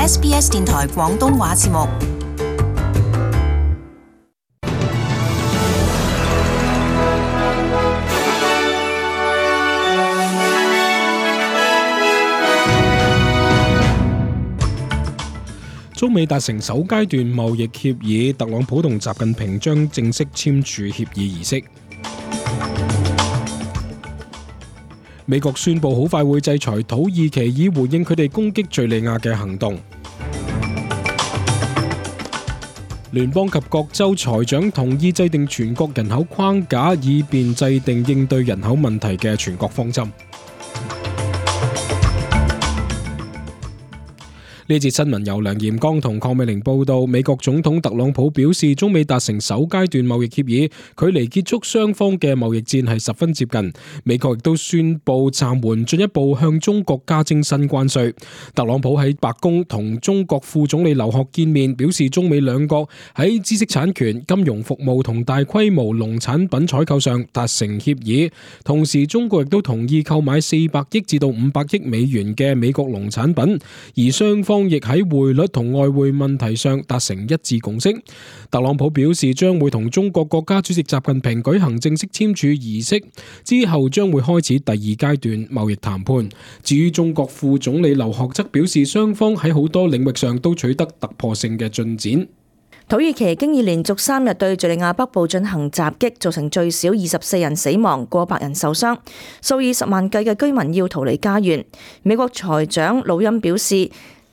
SBS 電台廣東話節目。中美達成首階段貿易協議，特朗普同習近平將正式簽署協議儀式。美國宣布好快會制裁土耳其，以回應佢哋攻擊敘利亞嘅行動。聯邦及各州財長同意制定全國人口框架，以便制定應對人口問題嘅全國方針。呢節新聞由梁炎剛同鄺美玲報道。美國總統特朗普表示，中美達成首階段貿易協議，距離結束雙方嘅貿易戰係十分接近。美國亦都宣布暫緩進一步向中國加徵新關稅。特朗普喺白宮同中國副總理劉鶴見面，表示中美兩國喺知識產權、金融服務同大規模農產品採購上達成協議。同時，中國亦都同意購買400億至到500億美元嘅美國農產品，而雙方亦喺匯率同外匯問題上達成一致共識。特朗普表示將會同中國國家主席習近平舉行正式簽署儀式，之後將會開始第二階段貿易談判。至於中國副總理劉鶴則表示，雙方喺好多領域上都取得突破性嘅進展。土耳其經已連續3日對敘利亞北部進行襲擊，造成最少24人死亡，過百人受傷，數以十萬計嘅居民要逃離家園。美國財長魯欽表示，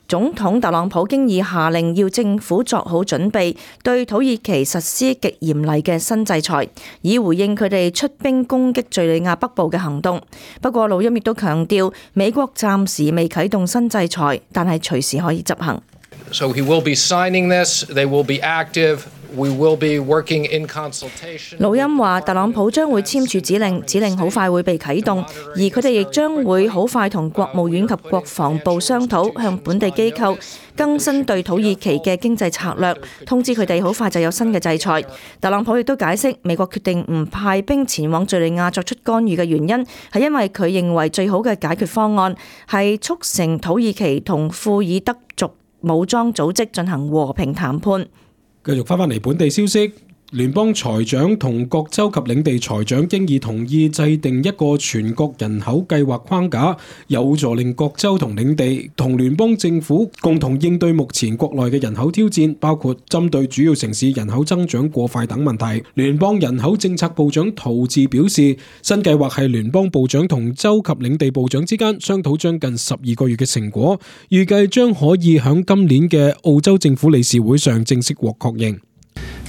總統特朗普經已下令要政府作好準備，對土耳其實施極嚴厲嘅新制裁，以回應佢哋出兵攻擊敘利亞北部嘅行動。不過魯欽亦都強調，美國暫時未啟動新制裁，但係隨時可以執行。So he will be signing this, they will be active, we will be working in consultation. 魯欽話，特朗普將會簽署指令好快會被啟動，而佢哋亦將會好快同國務院及國防部商討，向本地機構更新對土耳其嘅經濟策略，通知佢哋好快就有新嘅制裁。特朗普亦都解釋，美國決定唔派兵前往敘利亞作出干預嘅原因，係因為佢認為最好嘅解決方案係促成土耳其同庫爾德族武裝組織進行和平談判。繼續翻嚟本地消息，聯邦財長同各州及領地財長經已同意制定一個全國人口計劃框架，有助令各州同領地同聯邦政府共同應對目前國內嘅人口挑戰，包括針對主要城市人口增長過快等問題。聯邦人口政策部長陶治表示，新計劃係聯邦部長同州及領地部長之間商討將近12個月嘅成果，預計將可以喺今年嘅澳洲政府理事會上正式獲確認。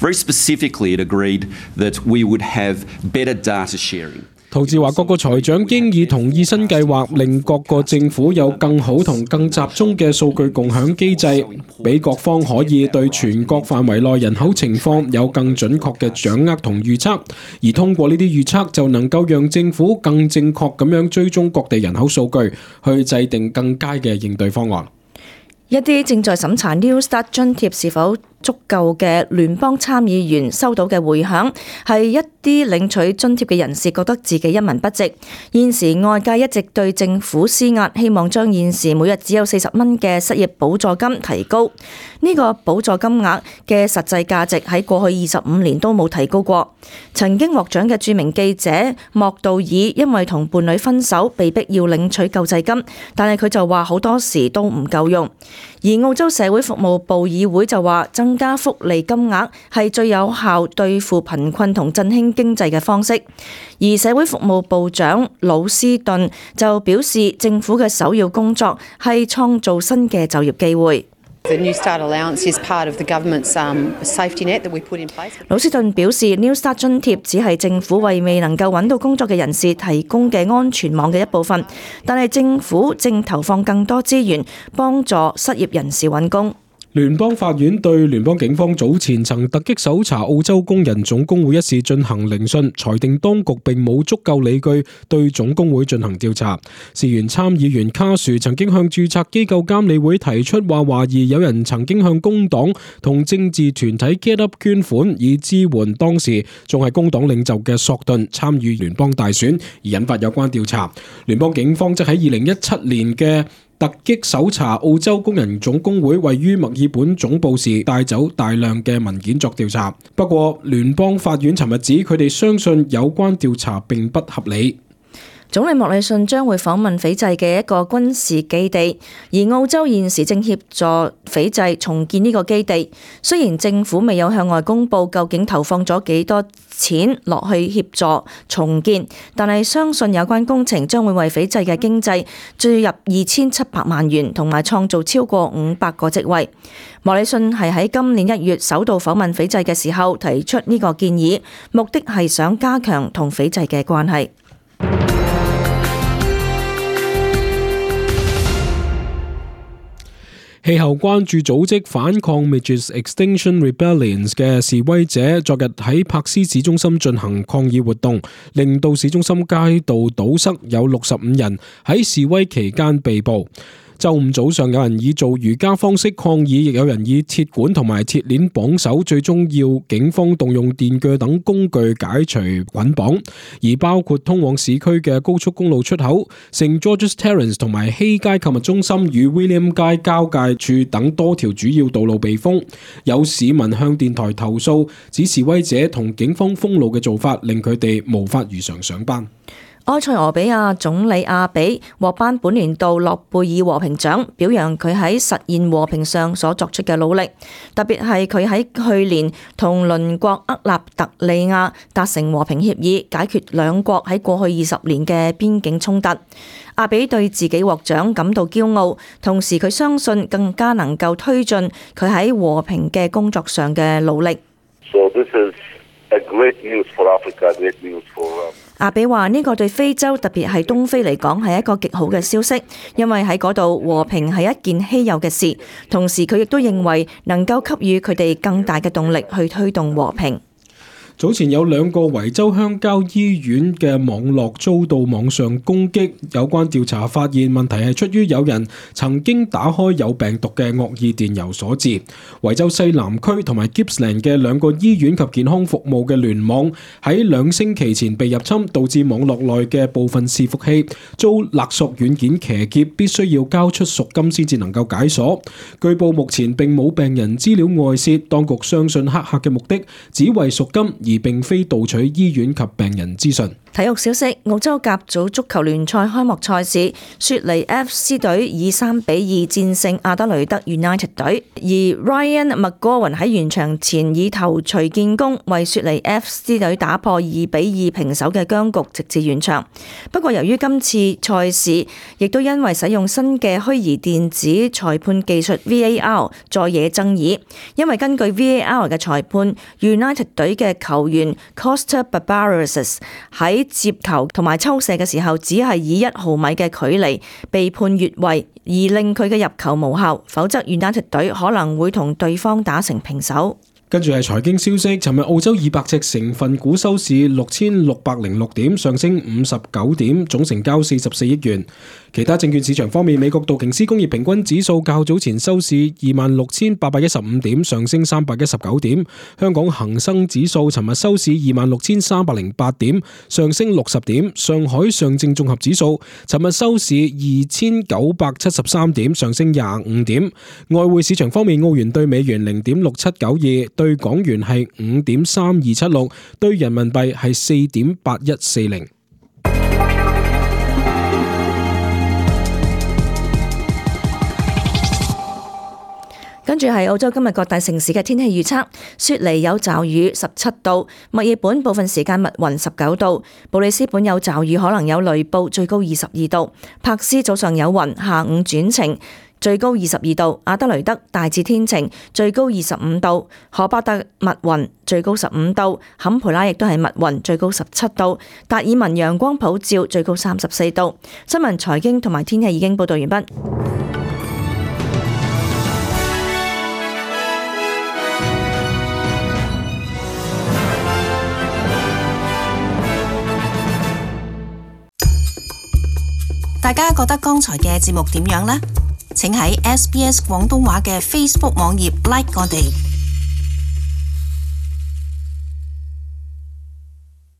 Very specifically, it agreed that we would have better data sharing. 陶治話，各個財長經已同意新計劃，令各個政府有更好同更集中嘅數據共享機制，俾各方可以對全國範圍內人口情況有更準確嘅掌握同預測，而通過呢啲預測就能夠讓政府更正確咁樣追蹤各地人口數據，去制定更佳嘅應對方案。一啲正在審查 New Start 津貼是否足夠嘅聯邦參議員收到嘅回響，係一啲領取津貼嘅人士覺得自己一文不值。現時外界一直對政府施壓，希望將現時每日只有40蚊嘅失業補助金提高。呢個補助金額嘅實際價值喺過去25年都冇提高過。曾經獲獎嘅著名記者莫道爾因為同伴侶分手，被逼要領取救濟金，但係佢就話好多時都唔夠用。而澳洲社會服務部議會就話，增加福利金額係最有效對付貧困同振興經濟嘅方式。而社會服務部長魯斯頓就表示，政府嘅首要工作係創造新嘅就業機會。The New Start allowance is part of the government's safety net that we put in place. 魯斯頓表示 ，New Start 津貼只係政府為未能夠揾到工作嘅人士提供嘅安全網嘅一部分，但係政府正投放更多資源幫助失業人士揾工。聯邦法院對聯邦警方早前曾突擊搜查澳洲工人總工會一事進行聆訊，裁定當局並冇足夠理據對總工會進行調查。事源參議員卡殊曾經向註冊機構監理會提出話，懷疑有人曾經向工黨同政治團體 Get Up 捐款，以支援當時仲係工黨領袖嘅索頓參與聯邦大選，而引發有關調查。聯邦警方則喺2017年嘅突擊搜查澳洲工人總工會位於墨爾本總部時，帶走大量嘅文件作調查。不過，聯邦法院尋日指佢哋相信有關調查並不合理。總理莫里遜將會訪問斐濟嘅一個軍事基地，而澳洲現時正協助斐濟重建呢個基地。雖然政府未有向外公佈究竟投放咗幾多錢落去協助重建，但係相信有關工程將會為斐濟嘅經濟注入2700萬元，同埋創造超過500個職位。莫里遜係喺今年1月首度訪問斐濟嘅時候提出呢個建議，目的係想加強同斐濟嘅關係。氣候關注組織反抗 Midges Extinction Rebellion 嘅示威者昨日喺柏斯市中心進行抗議活動，令到市中心街道堵塞，有65人喺示威期間被捕。週五早上，有人以做瑜伽方式抗議，亦有人以鐵管同埋鐵鏈綁手，最終要警方動用電鋸等工具解除捆綁。而包括通往市區嘅高速公路出口、聖 George's Terrace 同埋希街購物中心與 William 街交界處等多條主要道路被封。有市民向電台投訴，指示威者同警方封路嘅做法令佢哋無法如常上班。埃塞俄比亞總理阿比獲頒本年度諾貝爾和平獎，表揚佢喺實現和平上所作出嘅努力，特別係佢喺去年同鄰國厄立特里亞達成和平協議，解決兩國喺過去20年嘅邊境衝突。阿比對自己獲獎感到驕傲，同時佢相信更加能夠推進佢喺和平嘅工作上嘅努力。So this is a great news for Africa, great news for阿比話呢個對非洲，特別係東非嚟講係一個極好嘅消息，因為喺嗰度和平係一件稀有嘅事。同時佢亦都認為能夠給予佢哋更大嘅動力去推動和平。早前有2個維州鄉郊醫院嘅網絡遭到網上攻擊，有關調查發現問題係出於有人曾經打開有病毒嘅惡意電郵所致。維州西南區同埋 Gippsland 嘅2個醫院及健康服務嘅聯網喺2星期前被入侵，導致網絡內嘅部分伺服器遭勒索軟件騎劫，必須要交出贖金先至能夠解鎖。據報目前並冇病人資料外泄，當局相信黑客嘅目的只為贖金，而並非盜取醫院及病人資訊。體育消息：澳洲甲組足球聯賽開幕賽事，雪梨 FC 隊以3-2戰勝阿德雷德 United 隊，而 Ryan McGowan 喺完場前以頭槌建功，為雪梨 FC 隊打破2-2平手嘅僵局，直至完場。不過由於今次賽事亦都因為使用新嘅虛擬電子裁判技術 VAR 再惹爭議，因為根據 VAR 嘅裁判 United 隊嘅球員 Costa Barbaros 喺接球同埋抽射嘅時候，只係以1毫米嘅距離被判越位，而令佢嘅入球無效，否則 United 隊可能會同對方打成平手。跟住係財經消息，尋日澳洲200隻成分股收市6606點，上升59點，總成交44億元。其他證券市場方面，美國道瓊斯工業平均指數較早前收市26,815點，上升319點。香港恒生指數尋日收市26,308點，上升60點。上海上證綜合指數尋日收市2,973點，上升25點。外匯市場方面，澳元對美元0.6792，對港元係5.3276，對人民幣係4.8140。跟住係澳洲今日各大城市嘅天氣預測：雪梨有驟雨17度，墨爾本部分時間密雲19度，布里斯本有驟雨可能有雷暴，最高22度，柏斯早上有雲，下午轉晴，最高22度，阿德雷德大致天晴，最高25度，荷伯特密雲，最高15度，坎培拉亦都係密雲，最高17度，達爾文陽光普照，最高34度。新聞、財經同埋天氣已經報道完畢。大家覺得剛才嘅節目點樣呢？請喺SBS 廣東話嘅 Facebook 網頁 like 我哋。